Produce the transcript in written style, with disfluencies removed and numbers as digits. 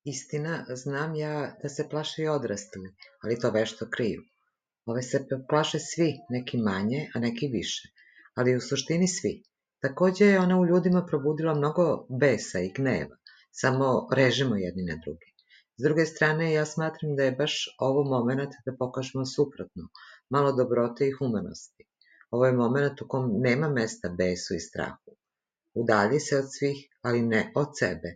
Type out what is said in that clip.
Istina, znam ja da se plaše i odrasli, ali to vešto kriju. Ove se plaše svi, neki manje, a neki više, ali u suštini svi. Takođe je ona u ljudima probudila mnogo besa i gneva, samo režimo jedni na drugi. S druge strane, ja smatram da je baš ovo moment da pokažemo suprotno, malo dobrote i humanosti. Ovo je moment u kom nema mesta besu i strahu. Udalji se od svih, ali ne od sebe.